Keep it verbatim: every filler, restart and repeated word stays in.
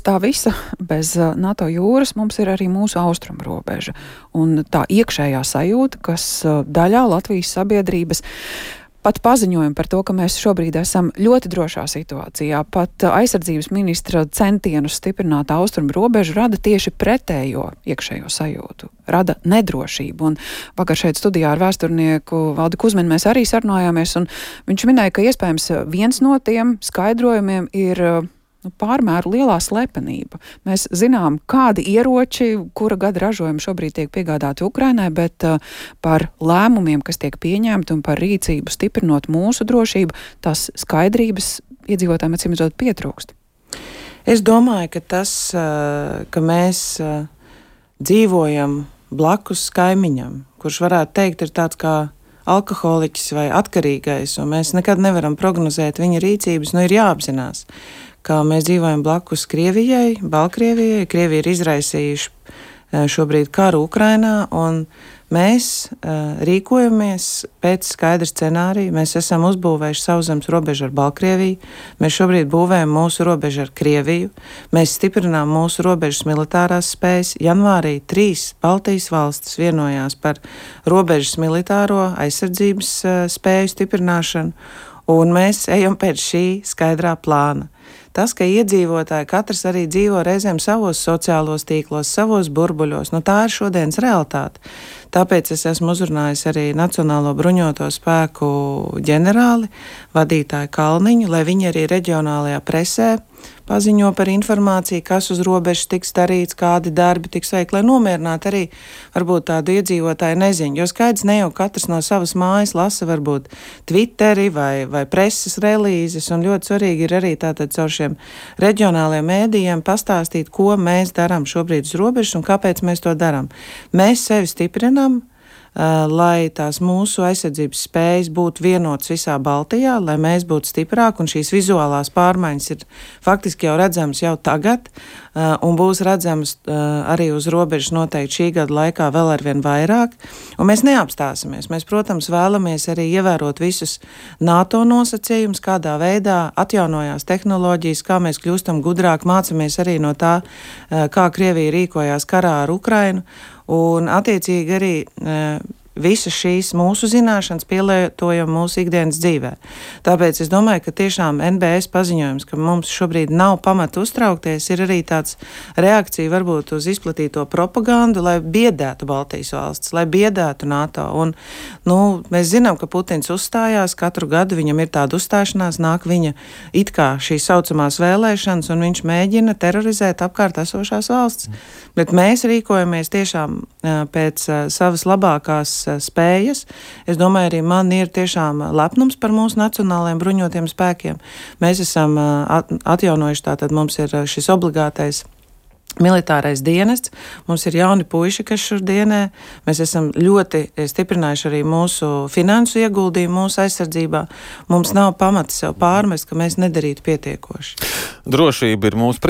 tā visa bez NATO jūras mums ir arī mūsu austrumu robeža. Un tā iekšējā sajūta, kas daļā Latvijas sabiedrības pat paziņojumi par to, ka mēs šobrīd esam ļoti drošā situācijā, pat aizsardzības ministra centienus stiprināt austrumu robežu rada tieši pretējo iekšējo sajūtu, rada nedrošību. Un vakar šeit studijā ar vēsturnieku Valdi Kuzminu mēs arī sarunājāmies, un viņš minēja, ka iespējams viens no tiem skaidrojumiem ir nu, pārmēru lielā slepenība. Mēs zinām, kādi ieroči, kura gada ražojumi šobrīd tiek piegādāti Ukrainai, bet uh, par lēmumiem, kas tiek pieņemti un par rīcību stiprinot mūsu drošību, tas skaidrības iedzīvotājiem acīmredzot pietrūkst. Es domāju, ka tas, uh, ka mēs uh, dzīvojam blakus kaimiņam, kurš varētu teikt ir tāds kā alkoholiķis vai atkarīgais, un mēs nekad nevaram prognozēt viņa rīcības, nu ir jāapzinās, ka mēs dzīvojam blakus Krievijai, Baltkrievijai. Krievija ir izraisījuši šobrīd karu Ukrainā, un mēs uh, rīkojamies pēc skaidra scenārija. Mēs esam uzbūvējuši sauszemes robežu ar Baltkrieviju, mēs šobrīd būvējam mūsu robežu ar Krieviju, mēs stiprinām mūsu robežas militārās spējas. Janvārī trīs Baltijas valstis vienojās par robežas militāro aizsardzības uh, spēju stiprināšanu, un mēs ejam pēc šī skaidrā plāna. Tas, ka iedzīvotāji katrs arī dzīvo reizēm savos sociālos tīklos, savos burbuļos, nu tā ir šodienas realitāte. Tāpēc es esmu uzrunājis arī Nacionālo bruņoto spēku ģenerāli, vadītāju Kalniņu, lai viņi arī reģionālajā presē paziņo par informāciju, kas uz robežas tiks darīts, kādi darbi tiks veikti, lai nomierinātu arī varbūt tādu iedzīvotāju neziņu. Jo skaidrs, ne jau katrs no savas mājas lasa varbūt Twitteri vai, vai preses relīzes, un ļoti svarīgi ir arī tātad caur šiem reģionālajiem mēdījiem pastāstīt, ko mēs darām šobrīd uz robežas un kāpēc mēs to darām. Mēs sevi stiprinām, Uh, lai tās mūsu aizsardzības spējas būtu vienotas visā Baltijā, lai mēs būtu stiprāki, un šīs vizuālās pārmaiņas ir faktiski jau redzamas jau tagad, uh, un būs redzamas uh, arī uz robežas noteikti šī gada laikā vēl arvien vairāk, un mēs neapstāsimies. Mēs, protams, vēlamies arī ievērot visus NATO nosacījumus, kādā veidā atjaunojās tehnoloģijas, kā mēs kļūstam gudrāk, mācamies arī no tā, uh, kā Krievija rīkojās karā ar Ukrainu, un attiecīgi arī e, visas šīs mūsu zināšanas pielietojam mūsu ikdienas dzīvē. Tāpēc es domāju, ka tiešām N B S paziņojums, ka mums šobrīd nav pamata uztraukties, ir arī tāds reakcija varbūt uz izplatīto propagandu, lai biedētu Baltijas valsts, lai biedētu NATO. Un, nu, mēs zinām, ka Putins uzstājās, katru gadu viņam ir tāda uzstāšanās, nāk viņa it kā šīs saucamās vēlēšanas, un viņš mēģina terorizēt apkārt esošās valsts. Bet mēs rīkojamies tiešām pēc savas labākās spējas. Es domāju, arī man ir tiešām lepnums par mūsu nacionālajiem bruņotiem spēkiem. Mēs esam atjaunojuši, tātad mums ir šis obligātais militārais dienests, mums ir jauni puiši, kas šur dienē, mēs esam ļoti stiprinājuši arī mūsu finansu ieguldījumu mūsu aizsardzībā. Mums nav pamata sev pārmest, ka mēs nedarītu pietiekoši. Drošība ir mūsu